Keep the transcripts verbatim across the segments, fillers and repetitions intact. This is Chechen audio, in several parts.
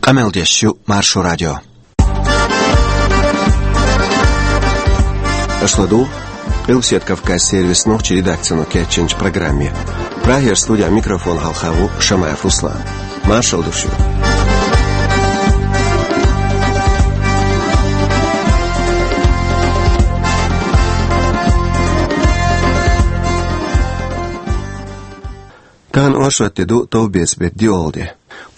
Къамел деш ю Маршо радио. Аша ладугӀу Къилбаседа Кавказан сервисан нохчийн редакцино кечйинчу программе. Прагера студехь микрофон хьалха ву Шамаев Руслан. Маршалла ду шуьга. Тахана оршот де ду, товбеца беттан диъолгӀа де.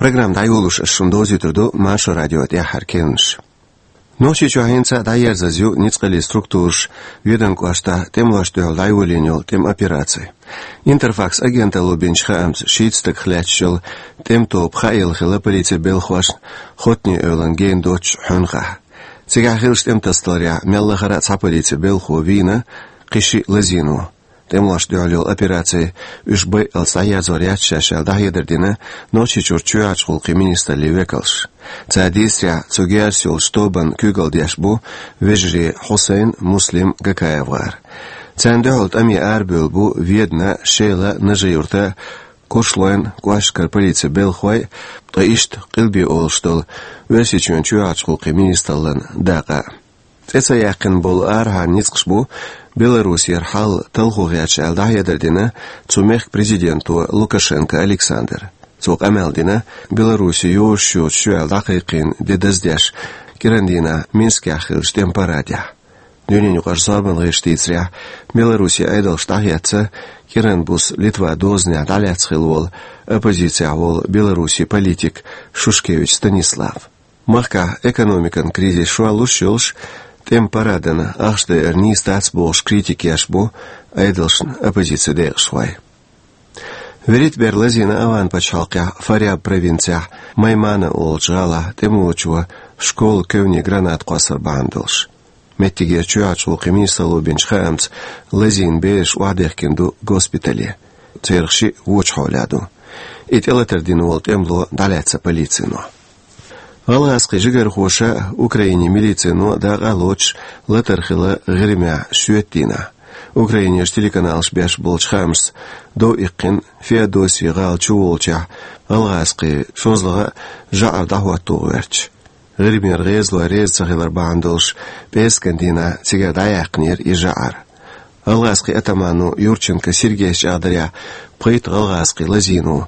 Программа дӀайолош ас шуна довзуьйтур ду Маршо радион тӀаьххьара керланаш. Нохчийчохь хӀинца а дӀаерзаза ю ницкъаллин структураша Веданан кӀоштахь тӀемалошна дуьхьал дӀайолийна йолу тӀеман операци. Интерфакс агенталло бинчу хаамца, шийтта стагах лаьтташ йолу тӀеман тоба хаийла хилла полицин белхалошна Хоттане-Эвлана гена доцчу хьуьнхахь. Цигахь хиллачу тӀеман тасадаларехь мел лахара а цхьа полицин белхало вийна, кхин шиъ лазийна ву. ТӀемалошна дуьхьал йолу операци уьш байъалц дӀаерзор яц шаьш аьлла, дӀахьедар дина Нохчийчуьра чоьхьарчу гӀуллакхийн министраллин векалша. Цара дийцарехь, цу герзаца йолчу тобанна куьйгалла деш бу вежарий Хьусайн, Муслим, Гакаев гӀар. Царна дуьхьал тӀаме арабевлла бу Ведана, Шела, Нажи-Юрта, Куршлойн кӀошташкара полицин белхалой, ткъа иштта Къилбе олуш долу Оьрсийчоьнан чоьхьарчу гӀуллакхийн министраллин дакъа. ЦӀе ца яьккхина болу арахьара ницкъаш бу Беларусера хьал талхо гӀерташ аьлла, дӀахьедар дина цу мехкан президенто Лукашенко Александра. Цо къамел дина Беларусе йозуш йоцуш ю аьлла дӀакхайкхийна де даздеш кӀиран дийнахь Минскехь хиллачу тӀеман парадехь. Дуьненаюкъарчу зорбанан гӀирсаша дийцарехь, Беларусин Ӏедалша дӀахецна кӀиран буса Литван дозанехь дӀалаьцна хилла волу оппозицехь волу Беларусин политик Шушкевич Станислав. Махкахь экономикан кризис шорлуш йолуш, тӀеман парадана ахча дайар нийса дац бохуш критика еш бу Ӏедалшна оппозицин декъашхой. ВуьрхӀитта бер лазийна АвгӀан пачхьалкхехь Фарьяб провинцехь Маймана олучу гӀалахь тӀемалочо школан кевне граната кхоссар бахьана долуш. Меттигера чоьхьарчу гӀуллакхийн министралло бинчу хаамца, лазийна бераш охьадехкина ду госпитале. Царах шиъ вочу хьолехь ду. И тӀелатар дина волу тӀемало дӀалаьцна полицино. ГӀалгӀазкхийн жигархоша а, Украинин милицино а дакъа а лоцуш латар хилла ГӀирмехь шоьтан дийнахь. Украинерчу телеканалаша беш болчу хаамашца, дов иккхина Феодосия гӀала чуволучехь гӀалгӀазкхийн шозлагӀа а, жӀара дӀахӀотто гӀоьртича. ГӀирмера гӀезалой реза ца хилар бахьана долуш, пӀераскан дийнахь цигара дӀаяьккхинера и жӀара. ГӀалгӀазкхийн атамано Юрченко Сергейс чӀагӀдарехь, пхийтта гӀалгӀазкхи лазийна ву.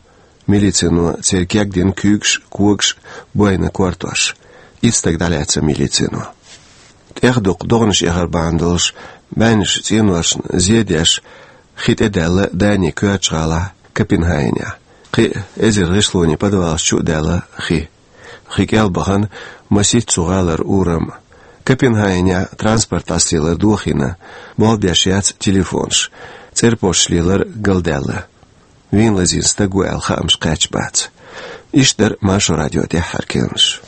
Милицино церан кегдина куьйгаш а, когаш а, бойна кортош. Итт стаг дӀалаьцна милицино. ТӀехдукха догӀанаш эхар бахьана долуш, бӀеннаш цӀеношна зе деш, хи тӀедаьлла Данин коьртачу гӀалахь Копенгагенехь. Кхин а эзар гӀишлонийн подвалаш чу а даьлла хи. Хи кӀел бахана масийтта цу гӀалара урам. Копенгагенехь транспорт дӀасалелар дохийна, болх беш яц телефонаш, цӀерпошаш лелар галдаьлла. Вийна лазийна стаг ву аьлла хаамаш кхаьчна бац. Иштта дара Маршо радион тӀаьххьара керланаш.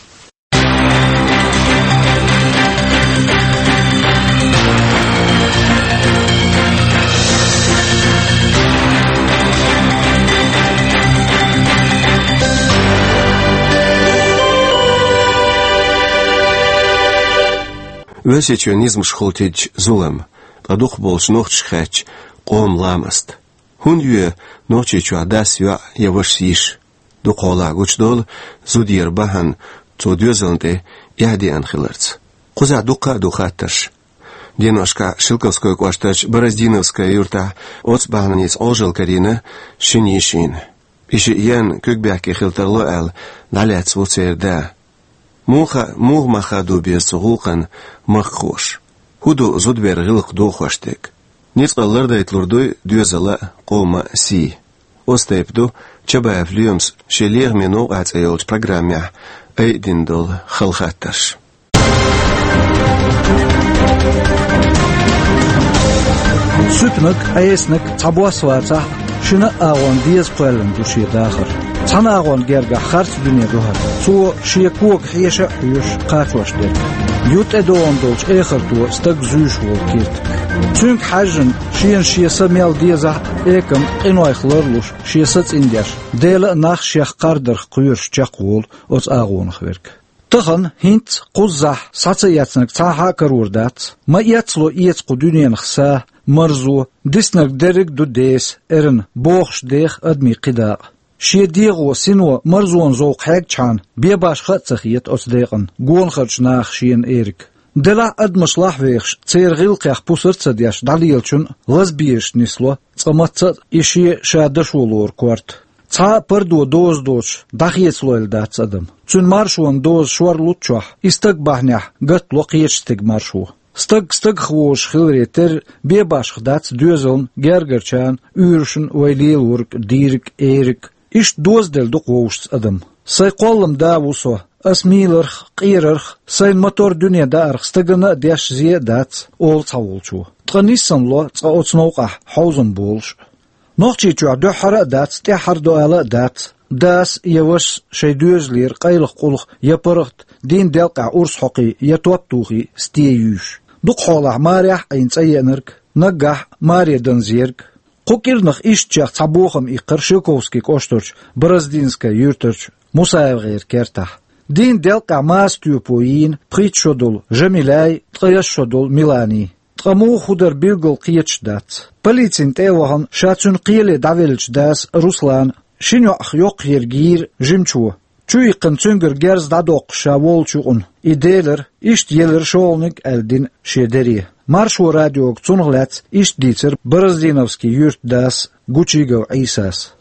Оьрсийчоьнан низамаш хила тидича зулам, ткъа дукхахболчу нохчашка хаьттича къоман ламаст. ХӀунда йоь Нохчийчохь дас йоӀ я вашас йиш? Дукхахьолахь гучудолу зуда яра бахьана цо доьзална тӀе эхь деана хиларца. Кхузахь дуккха а ду хаттарш. Деношкахь Шелковской кӀоштарчу Бороздиновская юьртахь оцу бахьаница Ӏожалла карийна шина йишина. И шиъ еана куьг бехке хила тарло аьлла, дӀалаьцна ву церан да. Муха, муха мах хадо беза цу гӀуллакхна махкахоша? ХӀун ду зудаберан гӀиллакх дохош дерг? Ницкъалла лардайталур дуй доьзала а, къоман а сий? Оцу тайпа ду Чабаев Лоьмас шен «Лехаме новкъа» цӀе йолчу программехь айдина долу хала хаттарш. Суьпаниг, Ӏесаниг цхьа бос вацахь, шина а агӀон деза кхоьллина ду шен дахар. Цхьана агӀон гергахь харц дуьне ду хӀара. Цо шен кога хьеша а хьоьшуш кхачош дерг. Ю тӀедогӀун долчу эхарто стаг зуьйш волу киртиг. Цуьнга хьаьжжина, шена шен са мел дезахь а, экам къинойх ларлуш, шен са цӀиндеш, Дела а нах а шех кхардарх кхоьруш чекхволу оцу агӀонах верг. Тахана, хӀинцца, кхуззахь схьа ца эцнарг цхьанхьа а карор дац. Ма эцло эца кху дуьненах са, марзо, диснарг дерриг а ду деса, эрна, бохуш деха адамийн кхидӀа а. Шен дегӀо, сино марзонан зовкх хьегчхьана, бен-башха а ца хета оцу декъана гонахарчу наха шена эриг. Делахь а адамаш лахьвехаш, церан гӀиллакхех пусар а ца деш дӀалелачун лазабераш нисло цкъа мацца а и шен ша дашо лору корта. Цхьа а пардо доза доцуш дӀахецалойла дац адам. Цуьнан маршонан доза шорлуц чохь, и стаг бахьанехь гатло кхечу стеган маршо. Стаг стагах вожуш хиларе терра, бен-башха дац доьзална, гергарчарна, уьйрашна вай лелориг, дийриг, эриг. Иштта дозаделла ду-кх вовшашца адам. Сайн кхоллам да ву со, ас мийларх, къерарх, сайн мотор дуьне даарх стагана а деш зе а дац, олу цхьаволчо. Ткъа ниссан ло цкъа оцу новкъахь хьовзам болуш а. Нохчийчохь дуьххьара а дац, тӀаьххьара ду ала а дац, дас я вашас шайн доьзалера къайлаха къулах я паргӀат дийнан делкъехь урс хьокхий я топ тухий сте юьйш. Дукха хьолахь марехь а Ӏийна цӀа еанарг, наггахь а маре данза ерг. Кху кӀирнах ишттачех цхьа бохам иккхира Шелковский кӀоштарчу Бороздинская юьртарчу МусаевгӀеран кертахь. Дийнан делкъехь маса тоьпо йийна пхийтта шо долу Жамиляй, ткъаясна шо долу Миланий. Ткъа муха хӀун дара билггал кхеташ дац. Полицина тӀе а вахана, ша цуьнан кхеле дӀавеллачу дас Руслана шина йоӀах йоккхаерг йийра жимачо. Чу иккхина цуьнгара герз дӀадоккхуш ша волчу юкъана и делира, иштта елира шолгӀаниг аьлла дина шен дере. Маршо радиога цунах лаьцна иштта дийцира Бороздиновский юьртан дас Гучигов Ӏийсас.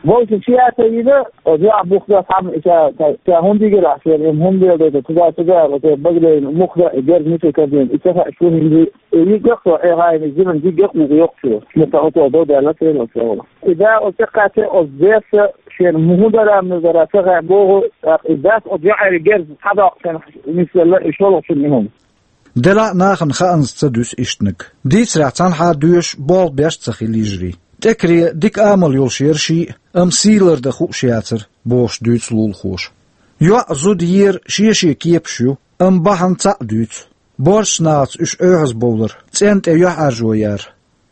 Вовшийн сията йина, оцу йоӀа бухда цхьамма и ша, ша хӀунда йигира ахь шена, хӀунда леладайтар, туда-туда, оцу багадайна мухда, и герз мича кардина, и ца хаьа шу хӀинца, и йиггах со, Ӏехайна, зиман йиггах вуха йоккхуш. Муха оцо дов даьлла, церан оцо. И да оцу кхаьчча, оцу дерса, шена муха дара, муха дара, ца хаьа боху, тӀаккха и дас оцу йоӀера герз схьадоккхуш, нисъелла, и шолгӀачунна и хӀума. Делахь а нахана хаанза ца дуьсу ишттаниг. Дийцарехь цхьанхьа доьшуш болх беш а ца хилла йижарий. ТӀекаре дика амал йолуш яра ший а, амма сий лардан хууш яцара, бохуш дуьйцу лулахоша. ЙоӀ, зуда ера шен-шен кепаш ю, амма бахьана цхьаъ дуьйцу. Боьршачу нахаца уьш оьхьазбовлар, цӀенна тӀе юьхьӀаьржо яр.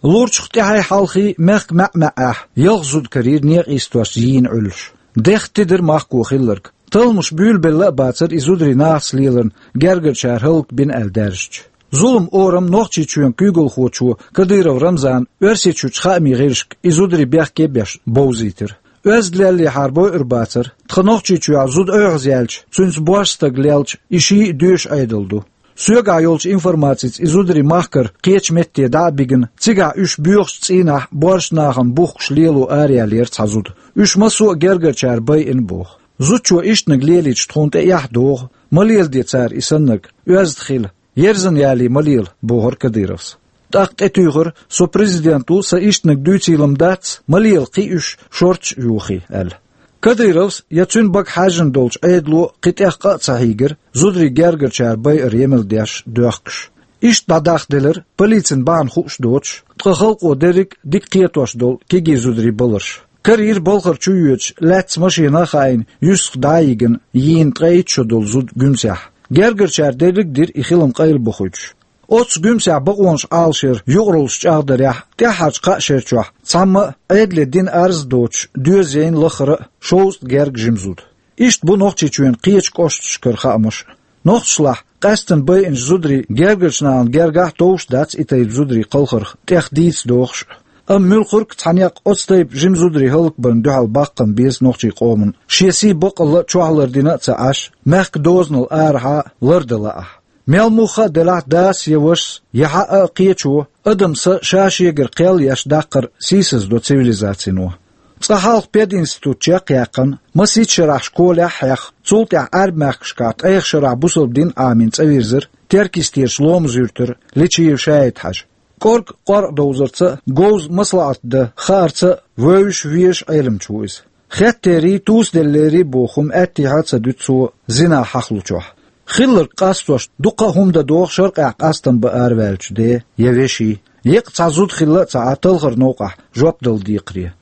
Лурчух тӀаьхьий-хьалхий мехкан маьӀ-маьӀӀехь ялх зуда карийра некъа йистош йийна Ӏуьллуш. Дехха тидира махко хилларг. Талламаш буьйлабелла а бацара и зударий нахаца леларна гергарчара хӀаллакбина аьлла даьржича. Зуламан орам Нохчийчоьнан куьйгалхочо Кадыров Рамзана Оьрсийчуьрчу хаамийн гӀирсашка и зударий бехке а беш бовзийтира. Оьзда леллехьара бойур бацара, тхан Нохчийчохь зуда оьхьазъяьлча, цуьнца боьрша стаг лелча, и ший а доьшу Ӏедал ду. Соьгахь йолчу информацица и зударий махкара кхечу метте дӀа а бигина, цигахь уьш боьхачу цӀийнахь боьршачу нахана бухкуш лело араяьллера цхьа зуда. Уьш массо а гергарчара байина боху. Зудчо ишттаниг лелийча тхуна тӀе эхь догӀу, ма леладе цара и саннарг, оьзда хила, ерзан ялий ма лела, бохура Кадыровс. ТӀаккха тӀетуьйхира, со президент ву, сан ишттаниг дуьйцийла-м дац, ма лела кхин уьш шортта а йохий, аьлла. Кадыровс я цуьнан бага хьаьжжина долчу Ӏедало кхин тӀех къа а ца хьийгира, зударий гергарчара байар емал деш, доьхкуш. Иштта дӀадахделира, полицина бахьана хууш доцуш, ткъа халкъо дерриг а дика кхетош долу кегий зударий баларш. Карийра балхара чу йоьдуш, лаьцна машина а хаийна, юьстах дӀа а йигина, йийна ткъе итт шо долу зуда Гуьмсехь. Гергарчара дерриг а дира и хилам къайлабохуьйтуш. Оццу Гуьмсехь бакъонаш Ӏалашъяр юкъараллаш чӀагӀдарехь, тӀаьххьарчу кхаа шера чохь цхьамма а Ӏедале дина арз а доцуш, доьза яйна лаххара а шовзткъа герга жима зуда. Иштта бу Нохчийчоьнан кхечу кӀошташкара хаамаш а. Нохчашлахь къаьсттина байинчу зударийн гергарчу нахана гергахь а товш дац и тайпа зударий кхалхарх тӀех дийца дохуш а. Амма муьлххарг а цхьа некъ оцу тайпа жима зударий хӀаллакбарна дуьхьал баккхам беза нохчийн къоман, шен сий баккъалла а чохь лардина а ца Ӏаш, мехкан дозанал арахьа а лардала ахь. Мел муха а делахь, дас я вашас, я хьаъа а кхечо, адам са ша-шегара кхел еш даккхар сийсаздо цивилизацино. Цкъа хьалха пединститут чекхъяьккхина, масийтта шарахь школехь а хьехна, цул тӀаьхьа Ӏаьрбийн мехкашкахь ткъех шарахь бусалба дин Ӏамийна цӀа вирзира Теркйистера Ломаз-Юьртара Личиев ШаьӀид-Хьаьжа. КӀорга къоркъ довзарца а, говза маслаӀат дан хаарца а вевзаш, везаш Ӏеламча ву иза. Хеттерий, тусаделлерий боху хӀума аьттехьа а ца дуьту цо зина хьахалучохь. Хилларг къастош, дуккха а хӀума дан догӀу шаркъехь къастам бан араваьллачу ден я вешин, еккъа цхьа зуда хилла а ца Ӏа талхар новкъахь жоп дала декхаре.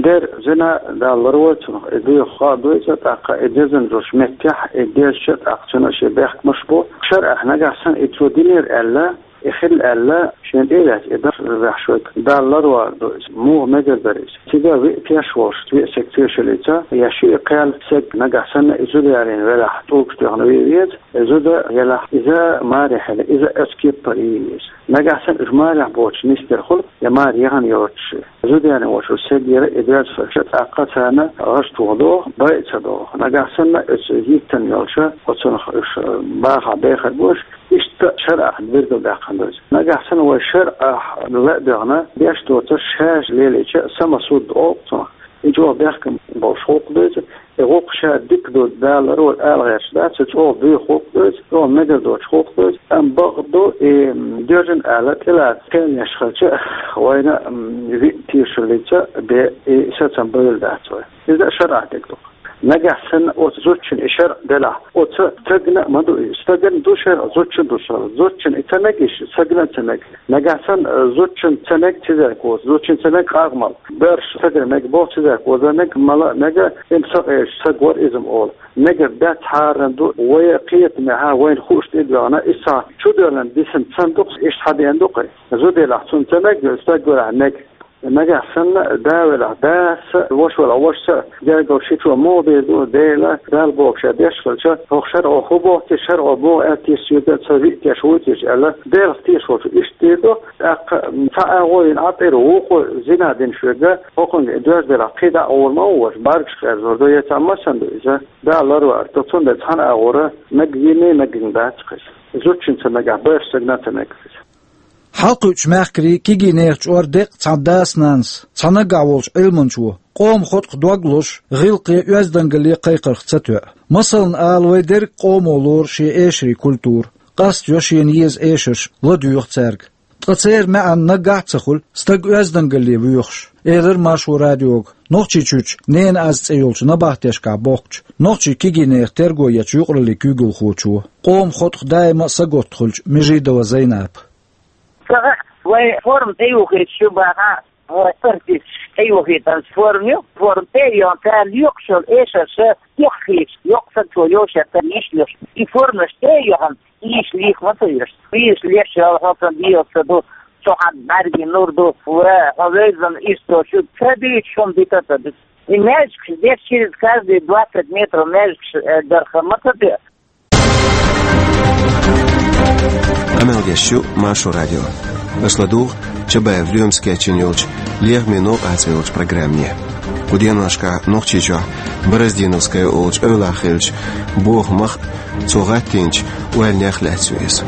Дера, зина Дала ларвойла цунах, и доьху хаа дуьйцу, тӀаккха и дезна долчу меттехь, и дезча, тӀаккха цуьнан шен бехкамаш бу. ШарӀехь нагахь санна и цо динера аьлла, и хилла аьлла, шен тӀе а ваьлча, и дарс а ваьхьаш вайга, Дала ларвар ду иза, муха мегар дара иза. Цига виъ теш волуш, виъ саг тешаллица, я шиъ кхел саг нагахь санна и зуда ялийна велахь, тӀулгаш тоьхна ве веза, и зуда елахь, иза маре хила, иза оцу кепара йийна иза. Нагахь санна уьш марехь боцуш нисделла хуьлу, я маре яхана йоцуш. Зудене волчу сегира и доьзалша тӀаккха царна гӀаш тоха догӀу, бай а ца догӀу. Нагахь санна оцу йиттан йолча, оцунах уьш бахахь бехар бу уьш, иштта шарӀахь билгалбаьккхина ду иза. Нагахь санна вай шарӀахь ла а доьгӀна, деш доцурш шаьш лелийча, самосуд олу цунах. И чӀогӀа бехкам болуш гӀуллакх ду иза, и гӀуллакх ша дика ду, Дала ларвойла ала гӀерташ дац, и чӀогӀа буьйха гӀуллакх ду иза, чӀогӀа мегар доцуш гӀуллакх ду иза, амма бакъ ду, и доьжна аьлла, тӀелаца кхел еш хилча, вайна, м, виъ тешаллица бен и сацам бевлла дац вай. Иза шарӀахь дерг ду. Нагахь санна оцу зудчун и шарӀ делахь, оцу стагана а ма ду иза. Стагана ду шарӀ, зудчун ду шарӀ. Зудчун и ца мега, стагана а ца мега. Нагахь санна, э, зудчун ца мега цизарг воцу, зудчун ца мега къагӀмал. Боьрша стагана мега боху цизарг, вазар мега, мала а мега, им сакъерчу стаг вара иза-м олу. Мегар дац, хьарам ду, вай кхетамехьа, вайна хууш тӀедоьгӀна, иза цхьа чудоьллина дисина санна ду-кх, иштта хьадеана ду-кх. Зуда елахь цунна ца мега, стаг велахь мега. Нагахь санна, да велахь дас а, ваша велахь вашас а, гергара шичо муха дийр ду, Дела, Далла бохуш ша деш хилча, хӀокху шарӀо хӀун боху те, шарӀо муха аьлла те соьга, ца виъ теш вуй те аьлла, Делах тешаш волчо иштта дийр ду, тӀаккха цхьа агӀо йина Ӏа тӀера вукхо зина дина шуьга, хӀокхуьнга и доьзна делахь кхин дӀа а гӀур ма ву ваша, бӀаьргаш кхерзор ду, я цхьа массанна ду иза, Дала ларвар ду, цундела цхьана агӀора мега йина, мегина дац-кх иза. Зудчун ца мегахь, боьрша стагана ца мега иза. Хьалакхуьучу мехкарий, кегий нехан чкъор деккъа цхьана дас-нанас, цхьа наггахь волчу Ӏилманчо, къоман хотӀах дог лозуш, гӀиллакхе, оьздангалле кхайкхарх ца тоьа. Масална ала, вай дерриг а къомо лору шен эшарийн культура, къастайо шена еза эшарш, ладоьгӀу цаьрга. Ткъа церан маьӀна наггахь а ца хуьлу, стаг оьздангалле воьхуш, элира Маршо радиога Нохчийчуьрчу «Ненан аз» цӀе йолчу набахтешкахь бохкучу, нохчийн кегий нехан терго ечу юкъараллин куьйгалхочо, къоман хотӀах даима а сагатта хуьлучу Межидова Зайнапа. Ца хаьа, вай форма тӀеюхийта шу бахахь, вай артисташ тӀеюхийтанчу форма ю, форма тӀе а йохна, цара лоькхуш йолу эшарша тӀеххийча, йоккха сагчо йовшех тара йиш леш. И формаш тӀе а йохна, йиш леха ма ца веш. Йиш леш йолу хӀокхуьнан дегӀаца ду, цу хьан бӀаьргийн нур ду, ва хьо вевзана иштта шу ца дуьйцуш хӀума дита а ца ду. И маьждигаш деш через каждые двадцать метров маьждигаш, э, дарха ма ца тоьа. Къамел деш ю Маршо радио. Аша ладугӀу Чабаев Лоьмас кечйина йолчу «Лехаме новкъа» цӀе йолчу программе. Кху деношкахь Нохчийчохь Бороздиновская олучу эвлахь хиллачу бохамах а, цо гӀаттийначу ойланех а лаьцна ю иза.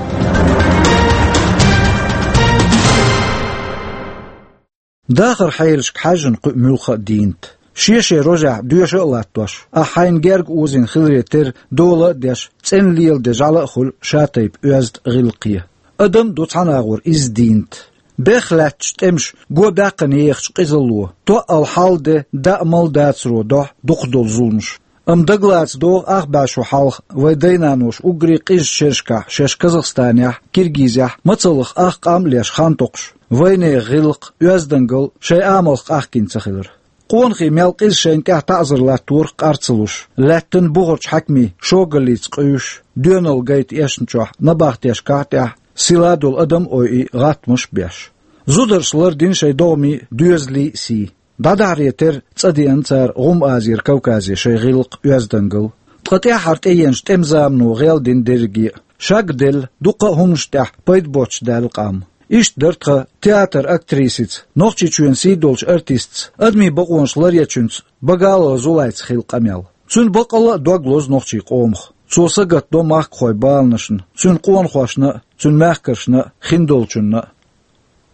Дахаран хьелашка хьаьжжина кхуьу муьлхха а дийнат. Шен-шен рожехь доьша а латтош, ахь хьайна герга озийна хиларе терра дола а деш, цӀена леладе жӀаьла а хуьлу шатайпа оьзда гӀиллакхе. Адам а ду цхьана агӀор изза дийнат. Бехха лаьттачу тӀемаша го баьккхина ехачу къизалло, тоъал хьал а де, даа-мала дацаро дохьу дукхах долу зуламаш. Амма дагалаца догӀу ах бӀе шо хьалха вай дай-наноша уггаре къизачу шерашкахь шаьш Казахстанехь а, Киргизехь а мацаллах ах къам а леш хан токхуш, вайнехан гӀиллакх а, оьздангалла а шайн амалх къахкийна ца хилар. Къонахий мел къиза шайна тӀехь таӀзар латторах къар ца луш, лаьттан бухарчу хьаькамийн шогаллица къуьйсуш, доьналла гайта эшначохь набахтешкахь а тӀехь сила долу адам а ойий, гӀаттамаш а беш. Зударша лардина шайн догӀмий а, доьзалий а сий. ДӀадахьаре терра цӀа деана цара ГӀум-Азера Кавказе шайн гӀиллакх а, оьздангалла а. Ткъа тӀаьххьара тӀееанчу тӀеман замано гӀелдина дерриге а. Шаг а делла, дуккха а хӀуманаш тӀехь пайда боццуш даьлла къам. Иштта дара тхан театран актрисица, Нохчийчоьнан сий долчу артистаца, адамийн бакъонаш ларъечуьнца Багалова Зулайца хилла къамел. Цуьнан баккъалла а дог лозу нохчийн къомах. Цо сагатдо махкахойн баланашна, цуьнан къонахошна а, цуьнан мехкаршна а, хиндолчунна а.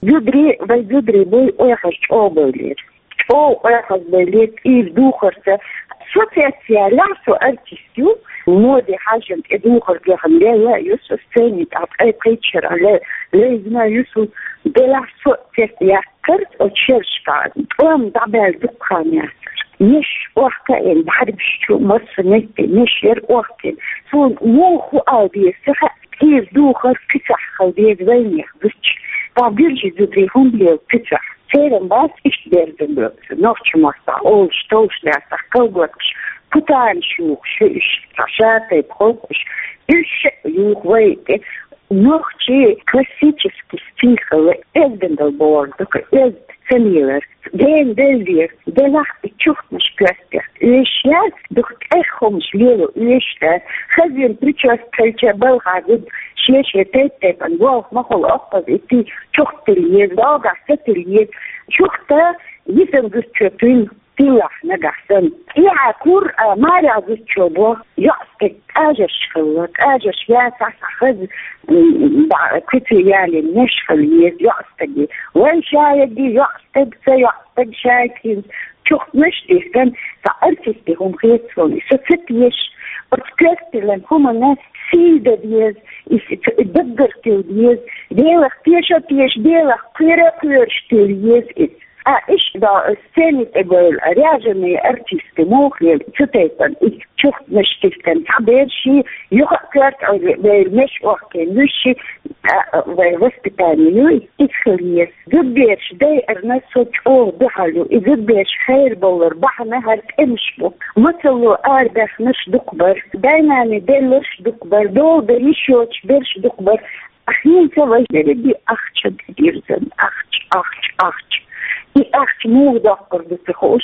Зударий, вай зударий буй, ойхьаза чӀогӀа бевллера. ЧӀогӀа ойхьаза бевллера, цӀийра духарца. Со цецъяьллехь, со артист ю, моде хьаьжжина тӀе духар дехна лелла а ю со, сцени тӀехь ткъе пхийтта шарахь ле-, левзина а ю со, делахь со цецъяьккхира оцу шерашкахь, тӀом дӀабаьлла дуккха хан яцара. Меш охка а йина, бӀаьргаш чу массанхьа а меш яра охка а йина. Суна муха хӀу ала деза ца хаьа, цӀийра духар кхин цхьаъ хила деза вайнехан гучу. Ткъа гуьржийн зударий хӀунда лела кхин цхьаъ? Церан бац иштта берзан боьрза, нохчийн мостагӀа олуш, товш лаьцна колготкаш, путанаш юхуш ю уьш, цхьа шатайпа халкъаш, уьш а юху вай тӀе. Нохчийн классический стиль хилла, оьздангалла бохург ду-кх, оьзда ца лелар. Дена беллера, делахь а чухмаш коьртехь оьшуш яц, дукха тӀех хӀуманаш лело оьшуш дац. Хазина причёска хилча балха гуда, Эшея тайп-тайпана болх ма хуьлу, оццул и ти чухтилла еза, догахь сатилла еза. Чухта йисан зудчо тилла, тиллахь нагахь санна. Тӏехьа кура, а, марехь зудчо бо, йоӀстаг, къажарш хилла, къажарш яцахь, схьа хаза, м, баӀ-, куьце ялийна меш хила еза йоӀстаге. Вайн шаерриге йоӀстаг, сан йоӀстаг, шайгахь хӀинца чухташ дихкина, цхьа артистийн хӀума хета суна, и со ца теша. Оцу коьрталлин хӀуманна сий дан деза, и с-, ц-, даггара тилла деза, Делах теша а теша, Делах кхера а кхоьруш тилла еза иза. А иштта сцени тӀе бевлла, а, ряженый артист муха лела, цу тайпана и чухташ дихкина, цхьа бераш, юха а коьрта Ӏуьйре бевлла, меш охкийна, вуьш, а, вайн воспитание ю, иза хила еза. Зудбераш дайарна со чӀогӀа дуьхьал ю. И зудбераш херабовлар бахьана хӀара тӀемаш бу. Мацалло арабаьхнарш дукха бара, дай-наной делларш дукха бара, дола дан йиш йоцуш берш дукха бара. ХӀинца вай дерриге ахча дирзина, ахча, ахча, ахча. И ахча муха доккхур ду ца хууш,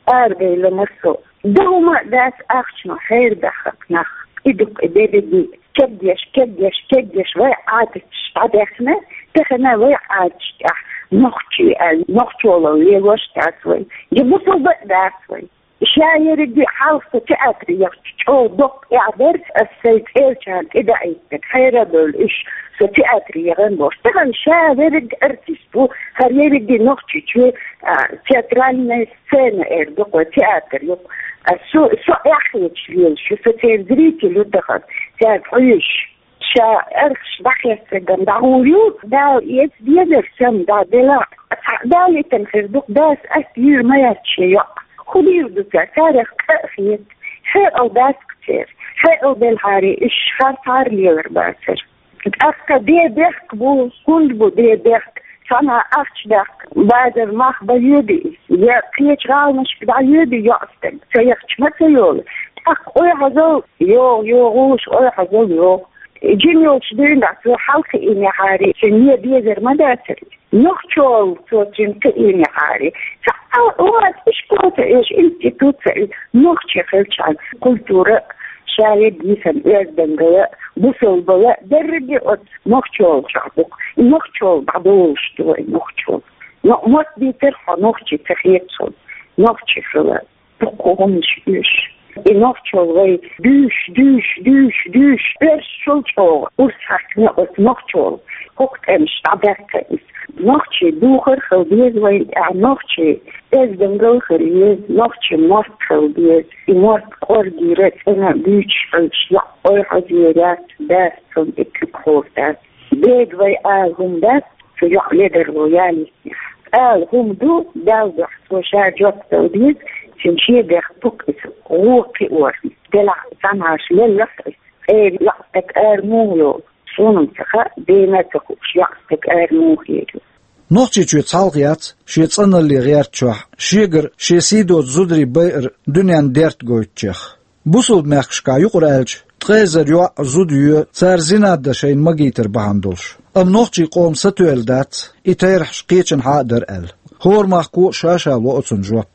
арабевлла мара со. Дан хӀума а дац ахчано хьерабаьхна нах. И ду-кх и дерриге. Кегдеш, кегдеш, кегдеш вай Ӏадаташ дӀадаьхна, тахана вай Ӏадаташ тӀехь нохчий аьлла, нохчалла лелош дац вай. Я бусалба а дац вай. Ша ерриге хьалха со театре яхча чӀогӀа доккха эхь дара, ас сайн цӀерачарна тӀедаийтинарг, хьера а бевлла уьш, со театре яхана бохуш. Тахана ша верриг артист ву, хӀара ерриге Нохчийчоь, а, театральная сцена эр ду-кх вай, театр ю-кх. А со, со эхь хеташ лелаш ю, со церан зритель ю тахана, цаьрга хьоьжуш. Ша архаш дӀахеццаргам дӀагӀур ю, Дала эца дезар санна дӀа делахь а, цхьаъ далийтина хир ду-кх, дас атта йийр ма яц шен йоӀ. ХӀун дийр ду цара, царех къа а хета. Хьекъал дац-кх церан. Хьекъал делхьара, уьш харцахьара лелар бацара. ТӀаккха ден бехк бу, хӀунда бу ден бехк? Цхьанхьа ахча даккха, базар мах бан йоьду иза, я кхечу гӀаланашка дӀайоьду йоӀстаг, ца яхча ма ца йолу. ТӀаккха ойхьазал йогӀу, йогӀуш ойхьазал йогӀу. Жима йолчу дуьйна цо хьалакхиийнехьара, цуьнан е безар ма дацара. Нохчалла цо цуьнан кхиийнехьара. Цхьа а вац, ишкол ца оьшу, институт ца оьшу, нохчи хилчхьана, культура а, шаерриг йисина оьздангалла а, бусалбалла а, дерриге оцу нохчалла чохь ду-кх. И нохчалла дӀадолуш ду вай, нохчалла. Но мотт дийцира хьо, нохчи ца хета суна, нохчи хила. Дуккха хӀуманаш оьшу. И нохчалла вай дуьйш, дуьйш, дуьйш, дуьйш, оьрсашал чӀогӀа урс хьаькхна оцу нохчалла. ХӀокху тӀемаш дӀадаьккхина иза. Нохчийн духар хила деза вайна тӀехь, нохчийн оьздангалла хила еза, нохчийн мотт хила деза. И мотт кӀоргера, цӀена буьйцуш хилча, йоӀ ойхьазъяр яц, дас цунна тӀе куьг хуур дац. Дега вай ала хӀума дац, цу йоӀ ледарло ялийтинехь. Ала хӀума ду, Далла дуьхьа, цо ша жоп дала деза, цуьнан шен бехк бу-кх иза, гӀо кхиорна. Делахь цхьанхьаш лелларх иза. Эр йоӀстаг ара муха йолу? Суна-м ца хаьа, дена а ца хууш, йоӀстаг ара муха эр ю. Нохчийчоь цхьалха яц шен цӀаналле гӀертачохь, шегара шен сий доцу зударий байар дуьненна дерт гойтучех. Бусалба мехкашкахь, юкъара аьлча, ткъе эзар йоӀ, зуда йоь, цара зина дан шайна магийтар бахьана долуш. Амма нохчийн къоман сатоьлла дац, и терахьаш кхечанхьа а дара аьлла. ХӀора махко а ша-ша ло оцунна жоп.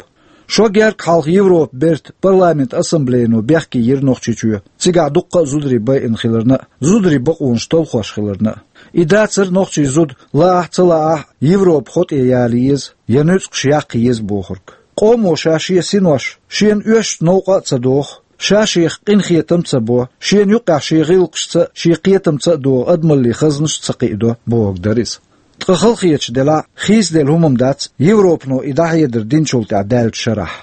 Шо гергга хьалха Европан бертан парламентан ассамблейно бехке йира Нохчийчоь, цигахь дуккха а зударий байина хиларна а, зударийн бакъонаш талхош хиларна а. И дацара нохчийн зуда, лаахь а, ца лаахь а, Европан хьо тӀе яла еза, я нуьцкъаш яккха еза бохург. Къомо ша шен синош шена оьшучу новкъа а ца доху, ша шех къинхетам а ца бо, шена юккъехь шен гӀиллакхашца а, шен кхетамца а догӀу адамаллин хазнаш а ца кхиадо, бохург дара иза. Ткъа халахеташ делахь а, хийцаделла хӀума-м дац Европано и дӀахьедар динчул тӀаьхьа даьллачу шарахь.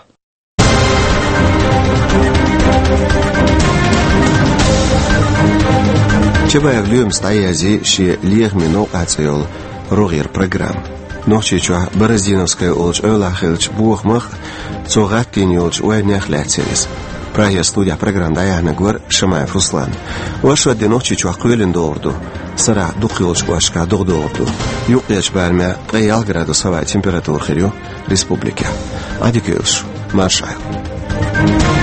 Чабаев Лоьмас дӀаяздина шен «Лехамийн новкъахь» цӀе йолу рогӀера программа. Нохчийчохь Бороздиновская олучу эвлахь хиллачу бохамах а, цо гӀаттийна йолчу вайнех а лаьцна яра иза. Прагера студехь программа дӀаяьхьнарг вара Шамаев Руслан. Оршот де Нохчийчохь кхоьлина догӀур ду, сарахь дукхах йолчу кӀошташкахь догӀа догӀур ду. Юккъерчу барамехь ткъе ялх градус хӀаваан температура хир ю республикехь. Ӏадика йойла шу, марша Ӏайла.